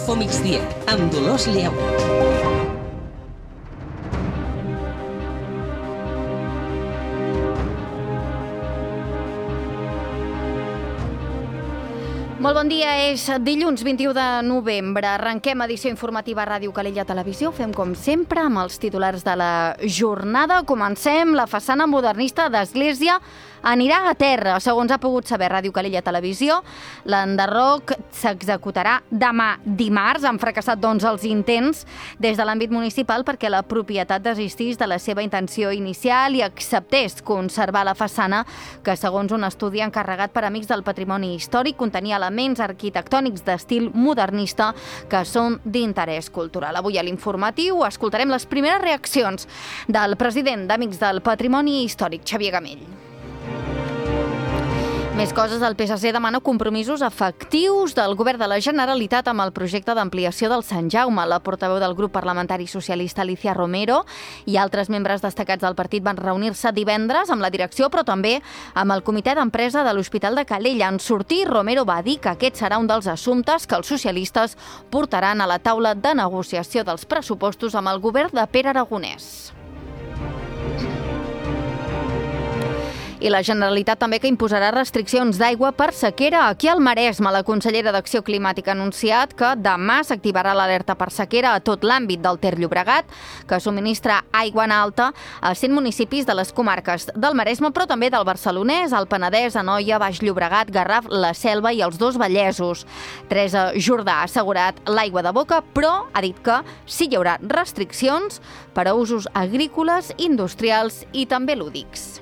Info Migdia, amb Dolors Lleu. Molt bon dia, és dilluns 21 de novembre. Arrenquem edició informativa a Ràdio Calella Televisió. Fem com sempre amb els titulars de la jornada. Comencem. La façana modernista d'Església anirà a terra. Segons ha pogut saber Ràdio Calella Televisió, l'enderroc s'executarà demà dimarts. Han fracassat, doncs, els intents des de l'àmbit municipal perquè la propietat desistís de la seva intenció inicial i acceptés conservar la façana que, segons un estudi encarregat per Amics del Patrimoni Històric, contenia elements arquitectònics d'estil modernista que són d'interès cultural. Avui a l'informatiu escoltarem les primeres reaccions del president d'Amics del Patrimoni Històric, Xavier Gamell. Més coses, el PSC demana compromisos efectius del govern de la Generalitat amb el projecte d'ampliació del Sant Jaume. La portaveu del grup parlamentari socialista, Alicia Romero, i altres membres destacats del partit van reunir-se divendres amb la direcció, però també amb el comitè d'empresa de l'Hospital de Calella. En sortir, Romero va dir que aquest serà un dels assumptes que els socialistes portaran a la taula de negociació dels pressupostos amb el govern de Pere Aragonès. I la Generalitat també que imposarà restriccions d'aigua per sequera aquí al Maresme. La consellera d'Acció Climàtica ha anunciat que demà s'activarà l'alerta per sequera a tot l'àmbit del Ter Llobregat, que subministra aigua en alta a 100 municipis de les comarques del Maresme, però també del Barcelonès, el Penedès, Anoia, Baix Llobregat, Garraf, la Selva i els dos Vallesos. Teresa Jordà ha assegurat l'aigua de boca, però ha dit que sí hi haurà restriccions per a usos agrícoles, industrials i també lúdics.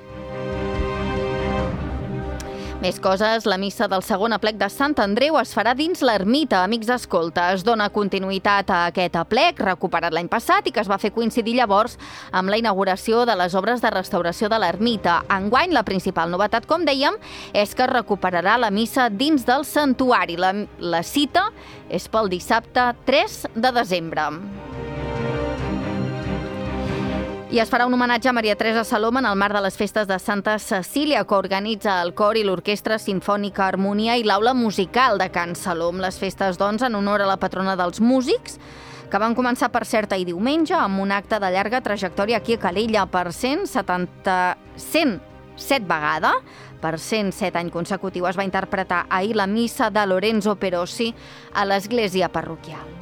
Més coses, la missa del segon aplec de Sant Andreu es farà dins l'ermita. Amics d'Escolta, es dona continuïtat a aquest aplec, recuperat l'any passat i que es va fer coincidir llavors amb la inauguració de les obres de restauració de l'ermita. Enguany, la principal novetat, com dèiem, és que es recuperarà la missa dins del santuari. La cita és pel dissabte 3 de desembre. I es farà un homenatge a Maria Teresa Salom en el marc de les festes de Santa Cecília, que organitza el cor i l'Orquestra Simfònica Harmonia i l'Aula Musical de Can Salom. Les festes, doncs, en honor a la patrona dels músics, que van començar, per cert, ahir diumenge, amb un acte de llarga trajectòria aquí a Calella per 107 vegada. Per 107 anys consecutiu es va interpretar ahir la missa de Lorenzo Perosi a l'església parroquial.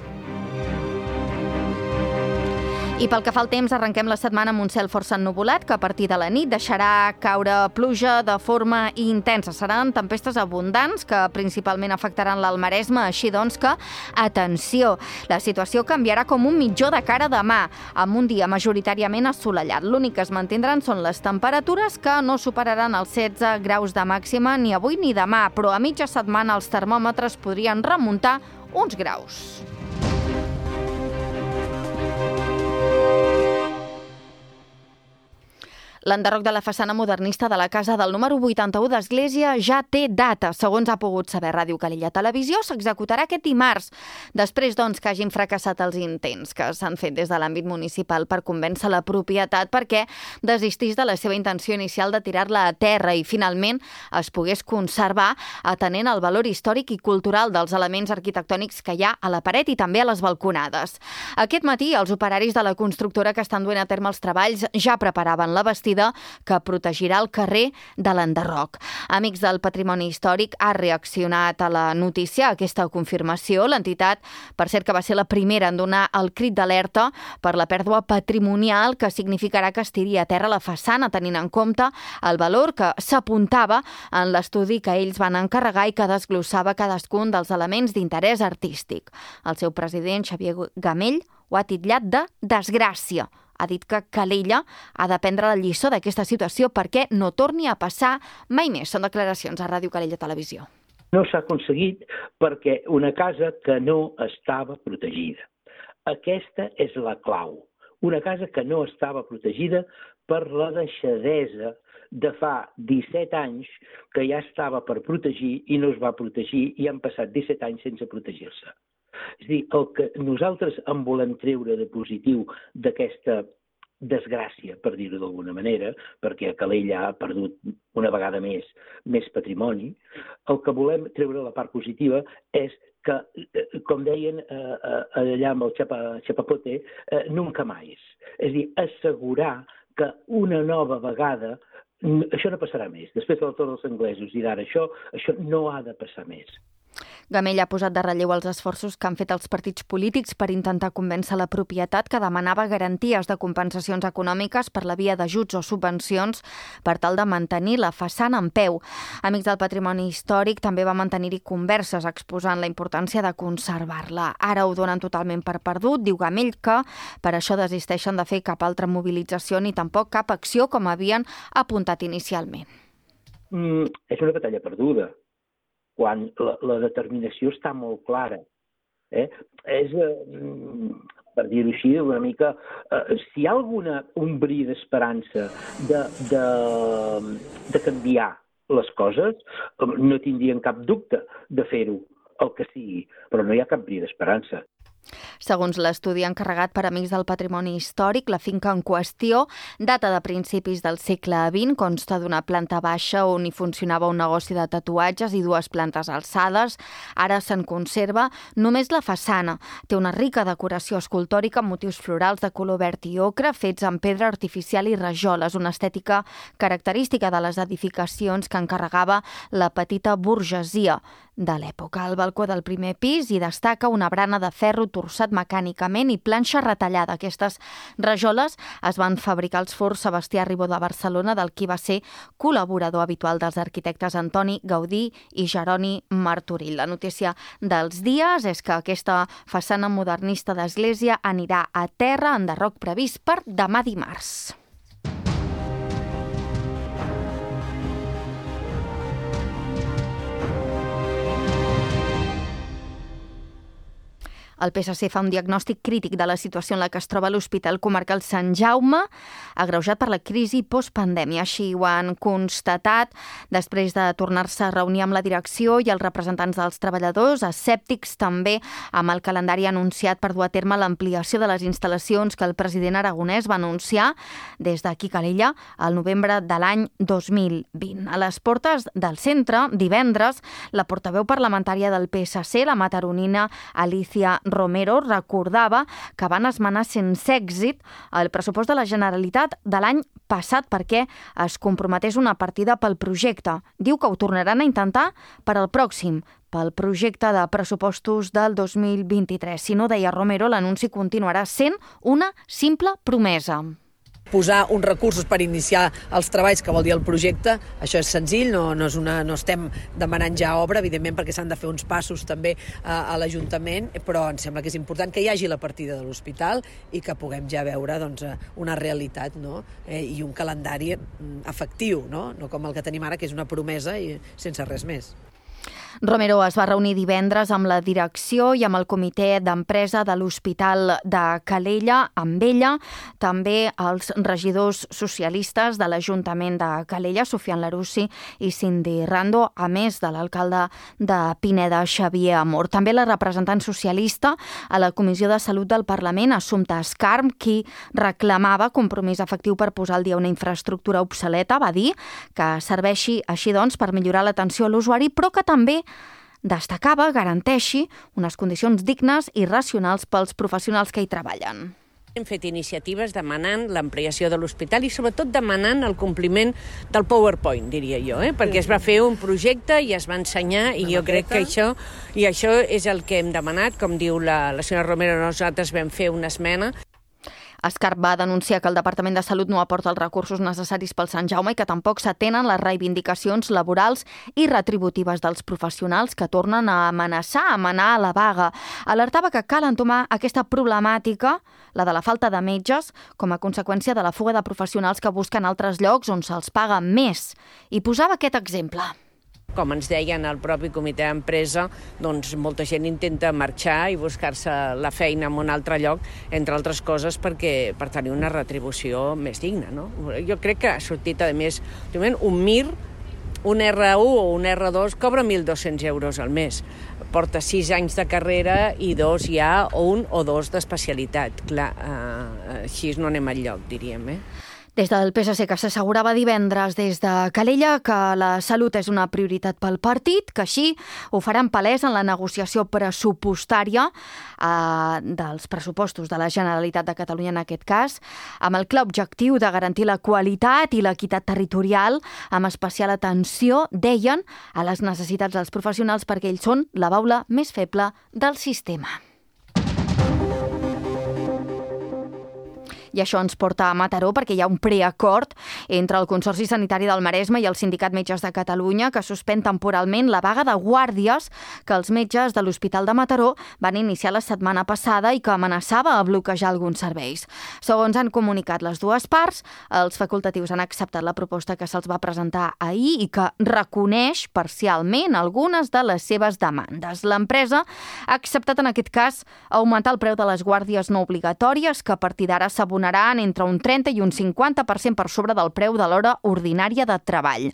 I pel que fa al temps, arrenquem la setmana amb un cel força ennuvolat que a partir de la nit deixarà caure pluja de forma intensa. Seran tempestes abundants que principalment afectaran l'Alt Maresme, així doncs que, atenció, la situació canviarà com un mitjó de cara a demà, amb un dia majoritàriament assolellat. L'únic que es mantindran són les temperatures que no superaran els 16 graus de màxima ni avui ni demà, però a mitja setmana els termòmetres podrien remuntar uns graus. L'enderroc de la façana modernista de la casa del número 81 d'Església ja té data. Segons ha pogut saber Ràdio Calella Televisió, s'executarà aquest dimarts, després, doncs, que hagin fracassat els intents que s'han fet des de l'àmbit municipal per convèncer la propietat perquè desistís de la seva intenció inicial de tirar-la a terra i, finalment, es pogués conservar atenent al valor històric i cultural dels elements arquitectònics que hi ha a la paret i també a les balconades. Aquest matí, els operaris de la constructora que estan duent a terme els treballs ja preparaven la bastida que protegirà el carrer de l'enderroc. Amics del Patrimoni Històric ha reaccionat a la notícia, a aquesta confirmació. L'entitat, per cert, que va ser la primera en donar el crit d'alerta per la pèrdua patrimonial que significarà que es tiri a terra la façana, tenint en compte el valor que s'apuntava en l'estudi que ells van encarregar i que desglossava cadascun dels elements d'interès artístic. El seu president, Xavier Gamell, ho ha titllat de desgràcia. Ha dit que Calella ha de prendre la lliçó d'aquesta situació perquè no torni a passar mai més. Són declaracions a Ràdio Calella Televisió. No s'ha aconseguit perquè una casa que no estava protegida. Aquesta és la clau. Una casa que no estava protegida per la deixadesa de fa 17 anys que ja estava per protegir i no es va protegir i han passat 17 anys sense protegir-se. És a dir, el que nosaltres en volem treure de positiu d'aquesta desgràcia, per dir-ho d'alguna manera, perquè Calella ha perdut una vegada més patrimoni. El que volem treure la part positiva és que, com deien allà amb el Chapapote, nunca más. És a dir, assegurar que una nova vegada això no passarà més. Després de la Torre dels Anglesos i d'ara això no ha de passar més. Gamell ha posat de relleu els esforços que han fet els partits polítics per intentar convèncer la propietat que demanava garanties de compensacions econòmiques per la via d'ajuts o subvencions per tal de mantenir la façana en peu. Amics del Patrimoni Històric també va mantenir-hi converses exposant la importància de conservar-la. Ara ho donen totalment per perdut, diu Gamell, que per això desisteixen de fer cap altra mobilització ni tampoc cap acció com havien apuntat inicialment. És una batalla perduda, quan la determinació està molt clara. És, per dir-ho així, una mica... Si hi ha un bri d'esperança de canviar les coses, no tindrien cap dubte de fer-ho, el que sigui, però no hi ha cap bri d'esperança. Segons l'estudi encarregat per Amics del Patrimoni Històric, la finca en qüestió data de principis del segle XX, consta d'una planta baixa on hi funcionava un negoci de tatuatges i 2 plantes alçades. Ara se'n conserva només la façana. Té una rica decoració escultòrica amb motius florals de color verd i ocre fets amb pedra artificial i rajoles, una estètica característica de les edificacions que encarregava la petita burgesia de l'època. Al balcó del primer pis hi destaca una barana de ferro torçat mecànicament i planxa retallada. Aquestes rajoles es van fabricar als forns Sebastià Ribó de Barcelona, del qui va ser col·laborador habitual dels arquitectes Antoni Gaudí i Jeroni Martorell. La notícia dels dies és que aquesta façana modernista d'església anirà a terra, enderroc previst per demà dimarts. El PSC fa un diagnòstic crític de la situació en la que es troba l'Hospital Comarcal Sant Jaume, agreujat per la crisi postpandèmia. Així ho han constatat després de tornar-se a reunir amb la direcció i els representants dels treballadors, escèptics també amb el calendari anunciat per dur a terme l'ampliació de les instal·lacions que el president aragonès va anunciar des d'aquí Calella al novembre de l'any 2020. A les portes del centre, divendres, la portaveu parlamentària del PSC, la mataronina Alicia Romero, recordava que van esmenar sense èxit el pressupost de la Generalitat de l'any passat perquè es comprometés una partida pel projecte. Diu que ho tornaran a intentar per al pròxim, pel projecte de pressupostos del 2023. Si no, deia Romero, l'anunci continuarà sent una simple promesa. Posar uns recursos per iniciar els treballs, que vol dir el projecte, això és senzill, no estem demanant ja obra, evidentment, perquè s'han de fer uns passos també a l'Ajuntament, però em sembla que és important que hi hagi la partida de l'hospital i que puguem ja veure una realitat, no? I un calendari efectiu, no com el que tenim ara, que és una promesa i sense res més. Romero es va reunir divendres amb la direcció i amb el comitè d'empresa de l'Hospital de Calella, amb ella, també els regidors socialistes de l'Ajuntament de Calella, Sofian Larussi i Cindy Rando, a més de l'alcalde de Pineda, Xavier Amor. També la representant socialista a la Comissió de Salut del Parlament, Assumpta Escarm, qui reclamava compromís efectiu per posar al dia una infraestructura obsoleta, va dir que serveixi així doncs per millorar l'atenció a l'usuari, però que també destacava, garanteixi unes condicions dignes i racionals pels professionals que hi treballen. Hem fet iniciatives demanant l'ampliació de l'hospital i sobretot demanant el compliment del PowerPoint, diria jo, perquè es va fer un projecte i es va ensenyar i jo crec que això és el que hem demanat. Com diu la senyora Romero, nosaltres vam fer una esmena. Escarp va denunciar que el Departament de Salut no aporta els recursos necessaris pel Sant Jaume i que tampoc s'atenen les reivindicacions laborals i retributives dels professionals que tornen a amenaçar, a manar a la vaga. Alertava que cal entomar aquesta problemàtica, la de la falta de metges, com a conseqüència de la fuga de professionals que busquen altres llocs on se'ls paga més. I posava aquest exemple. Com ens deien al propi comitè d'empresa, doncs molta gent intenta marxar i buscar-se la feina en un altre lloc, entre altres coses per tenir una retribució més digna, no? Jo crec que ha sortit, a més, un MIR, un R1 o un R2 cobra 1.200 euros al mes. porta 6 anys de carrera i 2 ja, o 1 o 2 d'especialitat. Clar, així no anem enlloc, diríem, Des del PSC, que s'assegurava divendres des de Calella que la salut és una prioritat pel partit, que així ho faran palès en la negociació pressupostària dels pressupostos de la Generalitat de Catalunya en aquest cas, amb el clar objectiu de garantir la qualitat i l'equitat territorial, amb especial atenció, deien, a les necessitats dels professionals perquè ells són la baula més feble del sistema. I això ens porta a Mataró perquè hi ha un preacord entre el Consorci Sanitari del Maresme i el Sindicat Metges de Catalunya que suspèn temporalment la vaga de guàrdies que els metges de l'Hospital de Mataró van iniciar la setmana passada i que amenaçava a bloquejar alguns serveis. Segons han comunicat les dues parts, els facultatius han acceptat la proposta que se'ls va presentar ahir i que reconeix parcialment algunes de les seves demandes. L'empresa ha acceptat en aquest cas augmentar el preu de les guàrdies no obligatòries que a partir d'ara s'abonaran entre un 30 i un 50% per sobre del preu de l'hora ordinària de treball.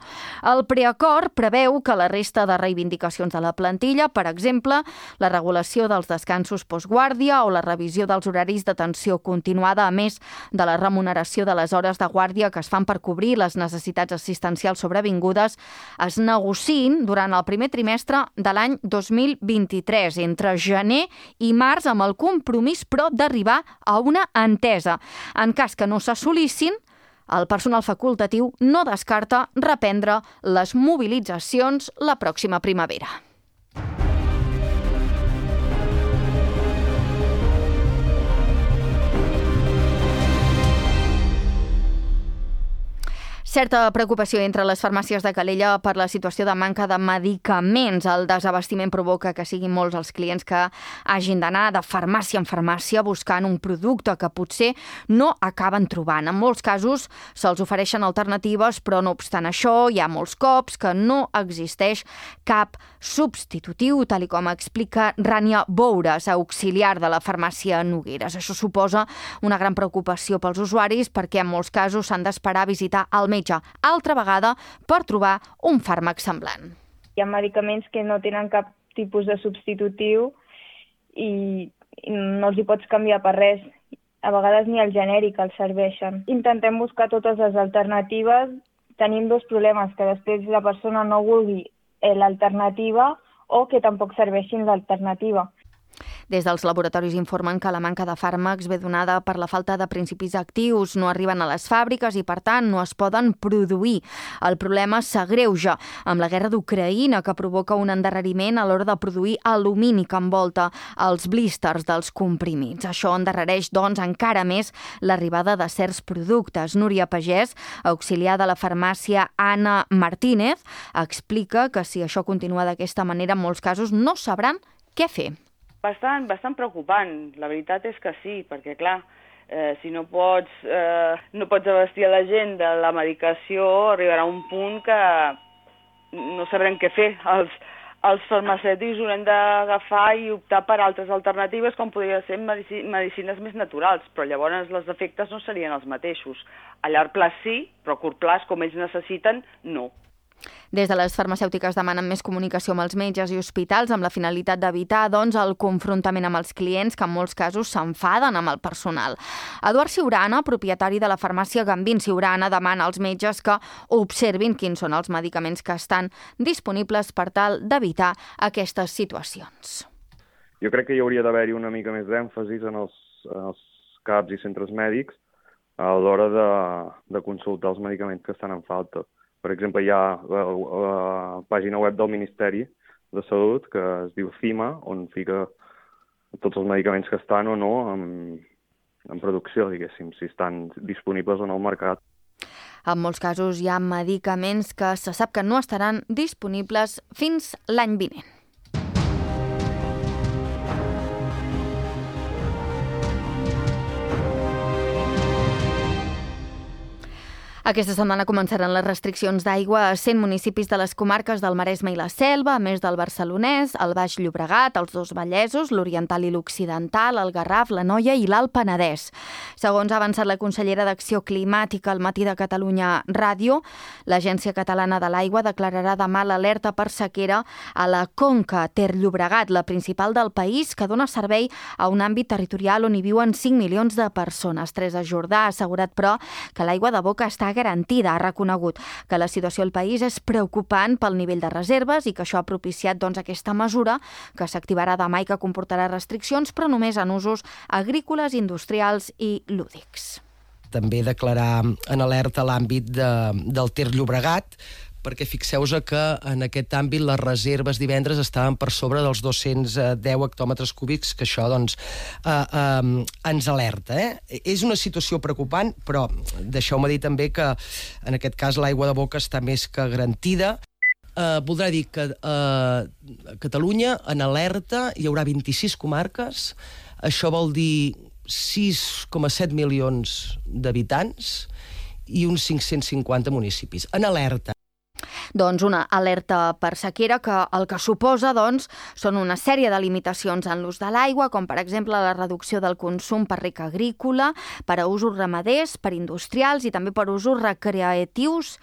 El preacord preveu que la resta de reivindicacions de la plantilla, per exemple, la regulació dels descansos postguàrdia o la revisió dels horaris d'atenció continuada, a més de la remuneració de les hores de guàrdia que es fan per cobrir les necessitats assistencials sobrevingudes, es negociïn durant el primer trimestre de l'any 2023, entre gener i març, amb el compromís, però, d'arribar a una entesa. En cas que no s'assolissin, el personal facultatiu no descarta reprendre les mobilitzacions la pròxima primavera. Certa preocupació entre les farmàcies de Calella per la situació de manca de medicaments. El desabastiment provoca que siguin molts els clients que hagin d'anar de farmàcia en farmàcia buscant un producte que potser no acaben trobant. En molts casos se'ls ofereixen alternatives, però no obstant això hi ha molts cops que no existeix cap substitutiu, tal com explica Rània Boures, auxiliar de la farmàcia Nogueres. Això suposa una gran preocupació pels usuaris perquè en molts casos s'han d'esperar a visitar el metge altra vegada per trobar un fàrmac semblant. Hi ha medicaments que no tenen cap tipus de substitutiu i no els hi pots canviar per res. A vegades ni el genèric els serveixen. Intentem buscar totes les alternatives. Tenim dos problemes, que després la persona no vulgui l'alternativa o que tampoc serveixin l'alternativa. Des dels laboratoris informen que la manca de fàrmacs ve donada per la falta de principis actius, no arriben a les fàbriques i, per tant, no es poden produir. El problema s'agreuja amb la guerra d'Ucraïna, que provoca un endarreriment a l'hora de produir alumini que envolta els blísters dels comprimits. Això endarrereix, doncs, encara més l'arribada de certs productes. Núria Pagès, auxiliar de la farmàcia Anna Martínez, explica que si això continua d'aquesta manera, en molts casos no sabran què fer. Bastant preocupant, la veritat és que sí, perquè clar, si no pots abastir a la gent de la medicació, arribarà un punt que no sabrem què fer. Els farmacèutics haurem d'agafar i optar per altres alternatives, com podrien ser medicines més naturals, però llavors els efectes no serien els mateixos. A llarg plaç sí, però a curt plaç, com ells necessiten, no. Des de les farmacèutiques demanen més comunicació amb els metges i hospitals amb la finalitat d'evitar, doncs, el confrontament amb els clients que en molts casos s'enfaden amb el personal. Eduard Siurana, propietari de la farmàcia Gambín Siurana, demana als metges que observin quins són els medicaments que estan disponibles per tal d'evitar aquestes situacions. Jo crec que hi hauria d'haver-hi una mica més d'èmfasis en els CAPs i centres mèdics a l'hora de consultar els medicaments que estan en falta. Per exemple, hi ha la pàgina web del Ministeri de Salut, que es diu CIMA, on fica tots els medicaments que estan o no en producció, diguéssim, si estan disponibles o no al mercat. En molts casos hi ha medicaments que se sap que no estaran disponibles fins l'any vinent. Aquesta setmana començaran les restriccions d'aigua a 100 municipis de les comarques del Maresme i la Selva, a més del Barcelonès, el Baix Llobregat, els dos Vallesos, l'Oriental i l'Occidental, el Garraf, l'Anoia i l'Alt Penedès. Segons ha avançat la consellera d'Acció Climàtica al Matí de Catalunya Ràdio, l'Agència Catalana de l'Aigua declararà demà l'alerta per sequera a la Conca Ter-Llobregat, la principal del país, que dona servei a un àmbit territorial on hi viuen 5 milions de persones. Teresa Jordà ha assegurat, però, que l'aigua de boca està garantida. Ha reconegut que la situació al país és preocupant pel nivell de reserves i que això ha propiciat aquesta mesura que s'activarà demà i que comportarà restriccions, però només en usos agrícoles, industrials i lúdics. També declarar en alerta l'àmbit del Ter-Llobregat, perquè fixeu-vos que en aquest àmbit les reserves divendres estaven per sobre dels 210 hectòmetres cúbics, que això ens alerta. És una situació preocupant, però deixeu-me dir també que en aquest cas l'aigua de boca està més que garantida. Voldrà dir que a Catalunya en alerta hi haurà 26 comarques, això vol dir 6,7 milions d'habitants i uns 550 municipis. En alerta. Doncs una alerta per sequera que el que suposa són una sèrie de limitacions en l'ús de l'aigua, com per exemple la reducció del consum per rec agrícola, per a usos ramaders, per industrials i també per usos recreatius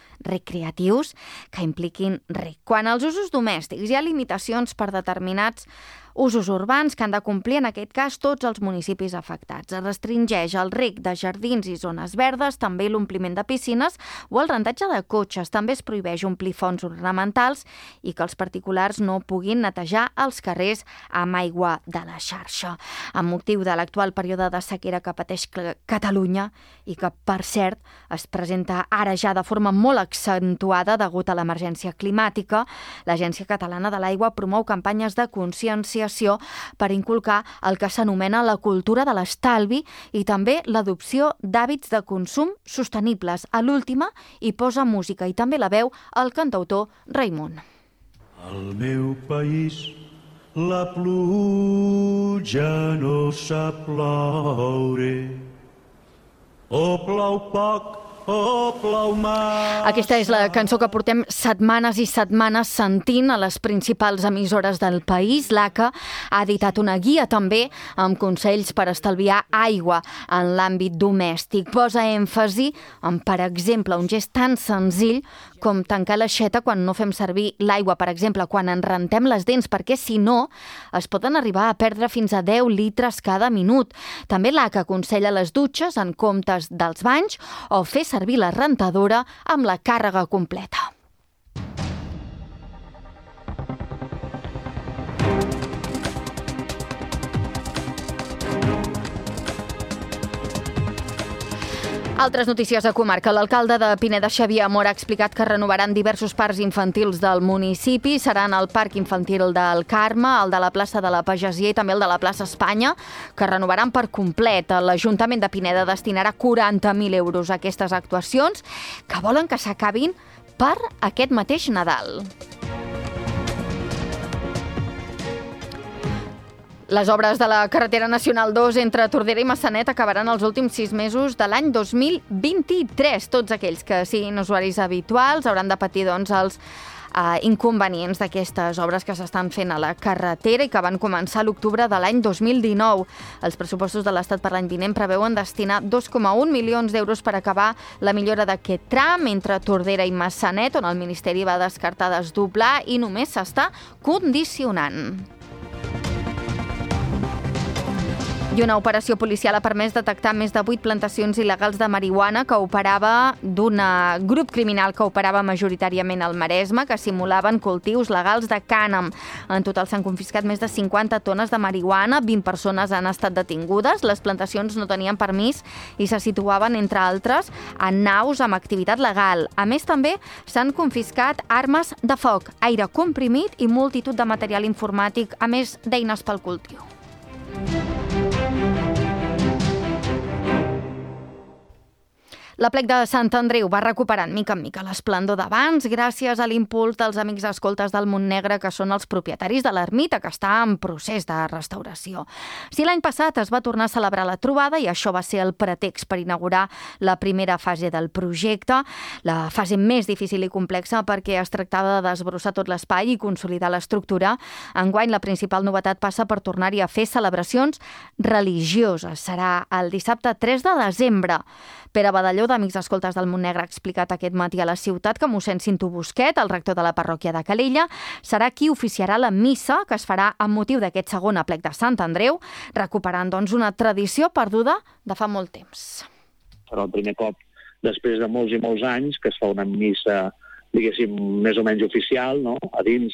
que impliquin rec. Quan als usos domèstics hi ha limitacions per determinats usos urbans que han de complir, en aquest cas, tots els municipis afectats. Es restringeix el rec de jardins i zones verdes, també l'ompliment de piscines o el rentatge de cotxes. També es prohibeix omplir fonts ornamentals i que els particulars no puguin netejar els carrers amb aigua de la xarxa. Amb motiu de l'actual període de sequera que pateix Catalunya i que, per cert, es presenta ara ja de forma molt accentuada degut a l'emergència climàtica, l'Agència Catalana de l'Aigua promou campanyes de consciència per inculcar el que s'anomena la cultura de l'estalvi i també l'adopció d'hàbits de consum sostenibles. A l'última hi posa música i també la veu el cantautor Raimon. Al meu país la pluja no sap ploure, o plou poc o plou mal. Aquesta és la cançó que portem setmanes i setmanes sentint a les principals emissores del país. L'ACA ha editat una guia també amb consells per estalviar aigua en l'àmbit domèstic. Posa èmfasi en, per exemple, un gest tan senzill com tancar l'aixeta quan no fem servir l'aigua, per exemple, quan ens rentem les dents, perquè si no es poden arribar a perdre fins a 10 litres cada minut. També l'ACA aconsella les dutxes en comptes dels banys o fer servir la rentadora amb la càrrega completa. Altres notícies a comarca. L'alcalde de Pineda, Xavier Amor, ha explicat que renovaran diversos parcs infantils del municipi. Seran el Parc Infantil del Carme, el de la plaça de la Pagesia i també el de la plaça Espanya, que renovaran per complet. L'Ajuntament de Pineda destinarà 40.000 euros a aquestes actuacions que volen que s'acabin per aquest mateix Nadal. Les obres de la carretera nacional 2 entre Tordera i Massanet acabaran els últims 6 mesos de l'any 2023. Tots aquells que siguin usuaris habituals hauran de patir els inconvenients d'aquestes obres que s'estan fent a la carretera i que van començar a l'octubre de l'any 2019. Els pressupostos de l'Estat per l'any vinent preveuen destinar 2,1 milions d'euros per acabar la millora d'aquest tram entre Tordera i Massanet, on el Ministeri va descartar desdoblar i només s'està condicionant. I una operació policial ha permès detectar més de 8 plantacions il·legals de marihuana que operava d'un grup criminal que operava majoritàriament al Maresme, que simulaven cultius legals de cànem. En total s'han confiscat més de 50 tones de marihuana, 20 persones han estat detingudes, les plantacions no tenien permís i se situaven, entre altres, en naus amb activitat legal. A més, també s'han confiscat armes de foc, aire comprimit i multitud de material informàtic, a més d'eines pel cultiu. L'aplec de Sant Andreu va recuperant mica en mica l'esplendor d'abans gràcies a l'impuls dels amics escoltes del Montnegre, que són els propietaris de l'ermita, que està en procés de restauració. Si l'any passat es va tornar a celebrar la trobada i això va ser el pretext per inaugurar la primera fase del projecte, la fase més difícil i complexa perquè es tractava de desbrossar tot l'espai i consolidar l'estructura, enguany la principal novetat passa per tornar-hi a fer celebracions religioses. Serà el dissabte 3 de desembre. Pere Badalló, d'Amics Escoltes del Montnegre, ha explicat aquest matí a la ciutat que mossèn Cinto Busquet, el rector de la parròquia de Calella, serà qui oficiarà la missa que es farà amb motiu d'aquest segon aplec de Sant Andreu, recuperant doncs una tradició perduda de fa molt temps. Serà el primer cop després de molts i molts anys que es fa una missa, diguéssim, més o menys oficial, no? A dins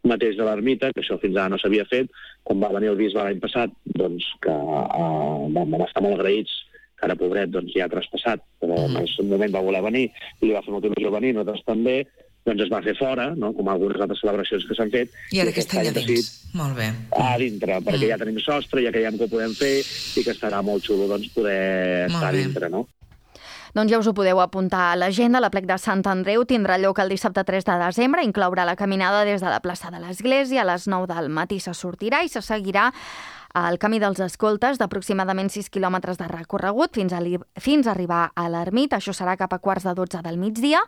mateix de l'ermita, que això fins ara no s'havia fet. Quan va venir el bisbe l'any passat, doncs que vam estar molt agraïts, que ara, pobret, doncs ja ha traspassat, però en el seu moment va voler venir i li va fer molta il·lusió venir, nosaltres també, doncs es va fer fora, no? Com algunes altres celebracions que s'han fet. I ara aquest any a dins. Molt bé. A dintre, perquè ja tenim sostre, ja creiem que ho podem fer i que estarà molt xulo doncs, poder estar a dintre, no? Doncs ja us ho podeu apuntar a l'agenda. L'aplec de Sant Andreu tindrà lloc el dissabte 3 de desembre, inclourà la caminada des de la plaça de l'Església, a les 9 del matí se sortirà i se seguirà el camí dels escoltes d'aproximadament 6 quilòmetres de recorregut fins a arribar a l'ermita. Això serà cap a 11:15 del migdia.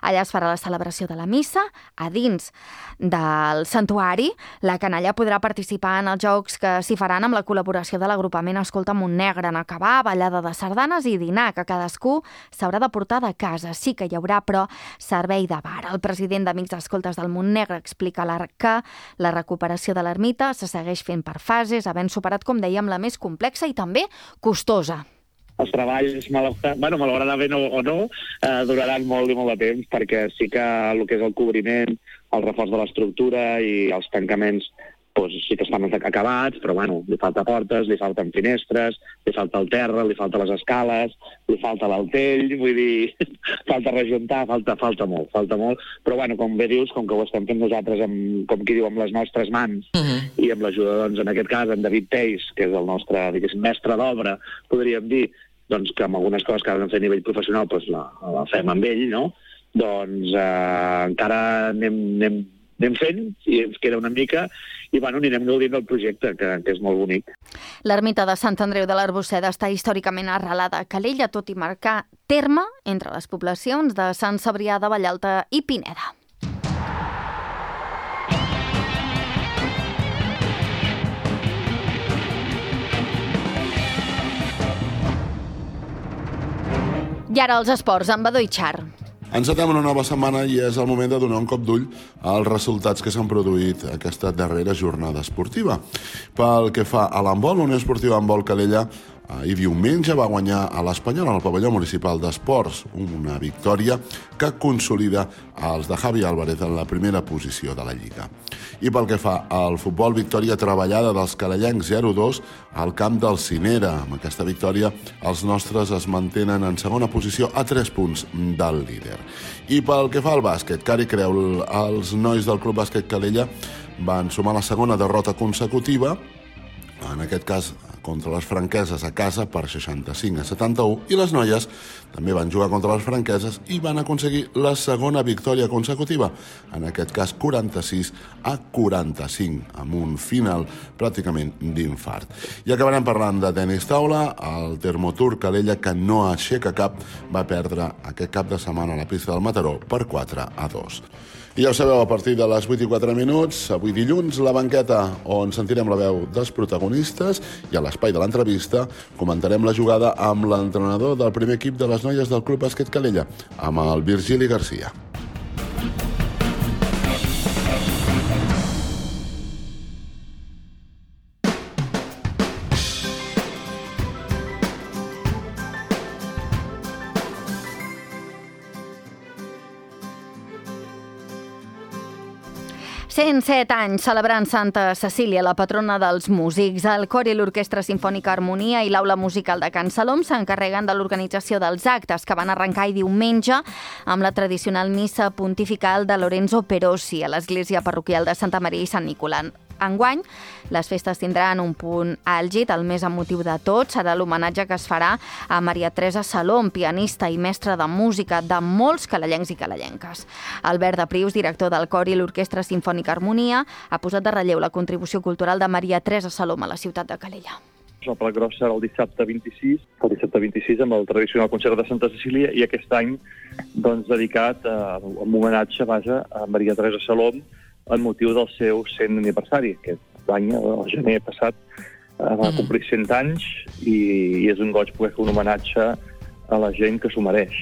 Allà es farà la celebració de la missa. A dins del santuari, la canalla podrà participar en els jocs que s'hi faran amb la col·laboració de l'agrupament Escolta Montnegre, en acabar, ballada de sardanes i dinar, que cadascú s'haurà de portar de casa. Sí que hi haurà, però, servei de bar. El president d'Amics Escoltes del Montnegre explica que la recuperació de l'ermita se segueix fent per fases, havent superat, com dèiem, la més complexa i també costosa. Els treballs, malauradament o no, duraran molt i molt de temps, perquè sí que el que és el cobriment, el reforç de l'estructura i els tancaments sí que estan acabats, però li falta portes, li falten finestres, li falta el terra, li falta les escales, li falta l'altell, vull dir, falta rejuntar, falta molt, però com bé dius, com que ho estem fent nosaltres, com qui diu, amb les nostres mans, i amb l'ajuda, doncs, en aquest cas, en David Teis, que és el nostre, diguéssim, mestre d'obra, podríem dir, doncs, que amb algunes coses que han de fer a nivell professional, doncs la fem amb ell, no? Doncs encara anem fent, i ens queda una mica, i anirem gaudint del projecte, que és molt bonic. L'ermita de Sant Andreu de l'Arbosseda està històricament arrelada a Calella, tot i marcar terme entre les poblacions de Sant Cebrià de Vallalta i Pineda. I ara els esports, amb Badó i Char. Encetem una nova setmana i és el moment de donar un cop d'ull als resultats que s'han produït aquesta darrera jornada esportiva. Pel que fa a l'handbol, Unió Esportiva Handbol Calella ahir diumenge va guanyar a l'Espanyol al pavelló municipal d'esports, una victòria que consolida els de Javi Álvarez en la primera posició de la Lliga. I pel que fa al futbol, victòria treballada dels calellencs 0-2 al camp del Cinera. Amb aquesta victòria, els nostres es mantenen en segona posició a 3 punts del líder. I pel que fa al bàsquet, Cari Creu, els nois del Club Bàsquet Calella van sumar la segona derrota consecutiva, en aquest cas contra les franqueses a casa per 65-71, i les noies també van jugar contra les franqueses i van aconseguir la segona victòria consecutiva, en aquest cas 46-45, amb un final pràcticament d'infart. I acabarem parlant de tenis taula. El Termotur Calella, que no aixeca cap, va perdre aquest cap de setmana a la pista del Mataró per 4-2. I ja ho sabeu, a partir de les 8:04, avui dilluns, la banqueta, on sentirem la veu dels protagonistes, i a l'espai de l'entrevista comentarem la jugada amb l'entrenador del primer equip de les noies del Club Bàsquet Calella, amb el Virgili Garcia. «107 anys celebrant Santa Cecília, la patrona dels músics. El cor i l'Orquestra Simfònica Harmonia i l'Aula Musical de Can Salom s'encarreguen de l'organització dels actes, que van arrencar diumenge amb la tradicional missa pontifical de Lorenzo Perosi a l'església parroquial de Santa Maria i Sant Enguany, les festes tindran un punt àlgid, el més emotiu de tot serà l'homenatge que es farà a Maria Teresa Salom, pianista i mestra de música de molts calellencs i calellenques. Albert de Prius, director del cor i l'Orquestra Simfònica Harmonia, ha posat de relleu la contribució cultural de Maria Teresa Salom a la ciutat de Calella. El plat gros serà el dissabte 26 amb el tradicional concert de Santa Cecília i aquest any dedicat a un homenatge a Maria Teresa Salom en motiu del seu 100 aniversari. Aquest any, el gener passat, va complir 100 anys i és un goig poder fer un homenatge a la gent que s'ho mereix.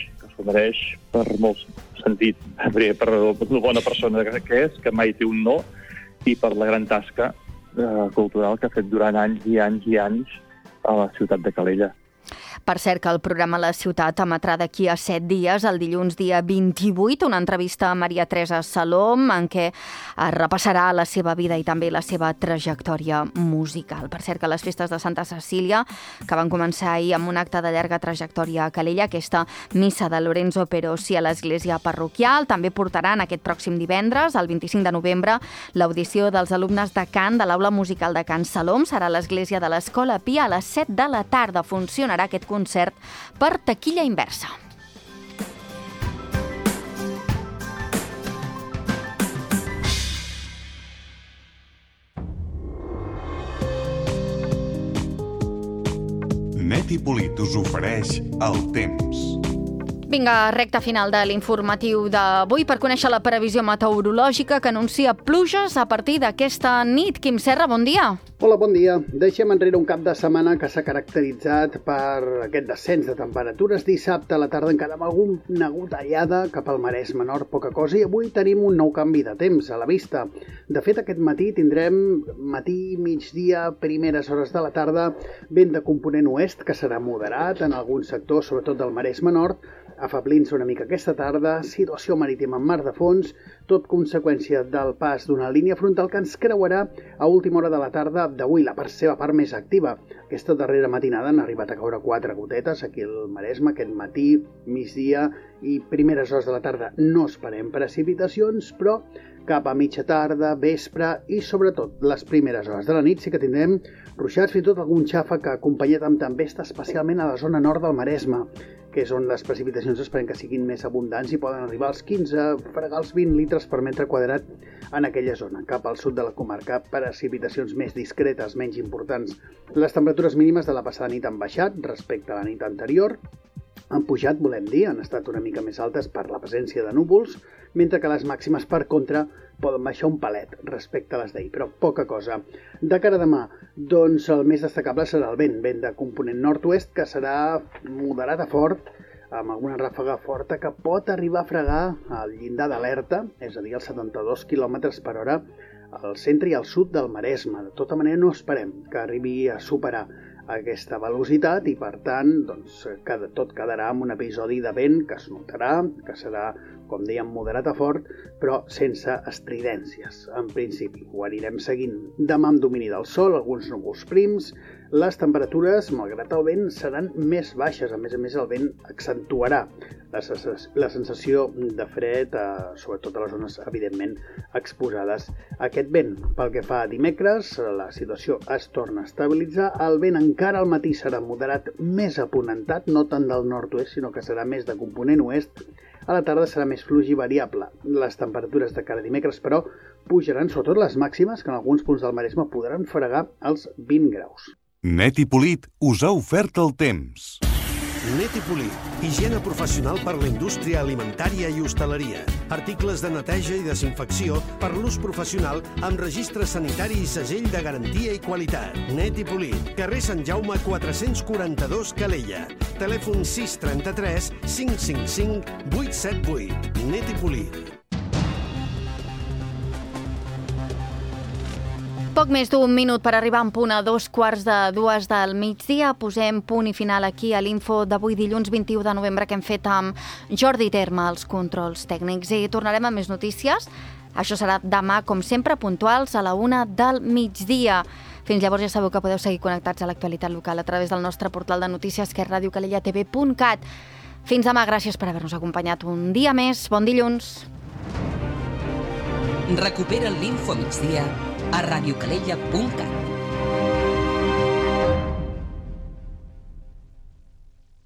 Per molt sentit, per la bona persona que és, que mai té un no, i per la gran tasca cultural que ha fet durant anys i anys i anys a la ciutat de Calella. Per cert, que el programa La Ciutat emetrà d'aquí a 7 dies, el dilluns dia 28, una entrevista a Maria Teresa Salom en què es repassarà la seva vida i també la seva trajectòria musical. Per cert, que les festes de Santa Cecília, que van començar ahir amb un acte de llarga trajectòria a Calella, aquesta missa de Lorenzo Perosi a l'església parroquial, també portaran aquest pròxim divendres, el 25 de novembre, l'audició dels alumnes de cant de l'Aula Musical de Can Salom. Serà a l'església de l'Escola Pia a les 7 de la tarda. Funcionarà aquest concert per taquilla inversa. Net i Polit us ofereix el temps. Vinga, recta final de l'informatiu d'avui per conèixer la previsió meteorològica que anuncia pluges a partir d'aquesta nit. Quim Serra, bon dia. Hola, bon dia. Deixem enrere un cap de setmana que s'ha caracteritzat per aquest descens de temperatures. Dissabte a la tarda encara amb alguna gotellada cap al Maresme Nord, poca cosa, i avui tenim un nou canvi de temps a la vista. De fet, aquest matí tindrem matí, migdia, primeres hores de la tarda, vent de component oest, que serà moderat en alguns sectors, sobretot del Maresme Nord, afablint-se una mica aquesta tarda, situació marítima en mar de fons, tot conseqüència del pas d'una línia frontal que ens creuarà a última hora de la tarda d'avui, la seva part més activa. Aquesta darrera matinada han arribat a caure 4 gotetes aquí al Maresme, aquest matí, migdia i primeres hores de la tarda no esperem precipitacions, però cap a mitja tarda, vespre i sobretot les primeres hores de la nit sí que tindrem ruixats, fins i tot algun xàfec acompanyat amb tempesta, especialment a la zona nord del Maresme, que és on les precipitacions esperem que siguin més abundants i poden arribar als 15, fregar els 20 litres per metre quadrat en aquella zona. Cap al sud de la comarca, precipitacions més discretes, menys importants. Les temperatures mínimes de la passada nit han baixat respecte a la nit anterior. Han pujat, volem dir, han estat una mica més altes per la presència de núvols, mentre que les màximes, per contra, poden baixar un palet respecte a les d'ahir, però poca cosa. De cara a demà, doncs el més destacable serà el vent de component nord-oest, que serà moderat a fort, amb alguna ràfaga forta que pot arribar a fregar el llindar d'alerta, és a dir, els 72 km per hora, al centre i al sud del Maresme. De tota manera, no esperem que arribi a superar aquesta velocitat i, per tant, doncs, tot quedarà amb un episodi de vent que es notarà, que serà, com dèiem, moderat a fort, però sense estridències, en principi. Ho anirem seguint. Demà amb domini del sol, alguns núvols prims, les temperatures, malgrat el vent, seran més baixes. A més, el vent accentuarà la sensació de fred, sobretot a les zones, evidentment, exposades a aquest vent. Pel que fa a dimecres, la situació es torna a estabilitzar. El vent encara al matí serà moderat, més aponentat, no tant del nord-oest, sinó que serà més de component oest. A la tarda serà més fluix i variable. Les temperatures de cara a dimecres, però, pujaran, sobretot les màximes, que en alguns punts del Maresme podran fregar els 20 graus. Net i Polit us ha ofert el temps. Net i Polit, higiene professional per la indústria alimentària i hostaleria. Articles de neteja i desinfecció per l'ús professional amb registre sanitari i segell de garantia i qualitat. Net i Polit, carrer Sant Jaume 442 Calella. Telèfon 633 555 878. Net i Polit. Poc més d'un minut per arribar en punt a 2:45 del migdia. Posem punt i final aquí a l'info d'avui dilluns 21 de novembre que hem fet amb Jordi Terme, els controls tècnics. I tornarem amb més notícies. Això serà demà, com sempre, puntuals a la 1 del migdia. Fins llavors ja sabeu que podeu seguir connectats a l'actualitat local a través del nostre portal de notícies, que és radiocalellatv.cat. Fins demà, gràcies per haver-nos acompanyat un dia més. Bon dilluns. Recupera l'Info Migdia a radiocalella.cat.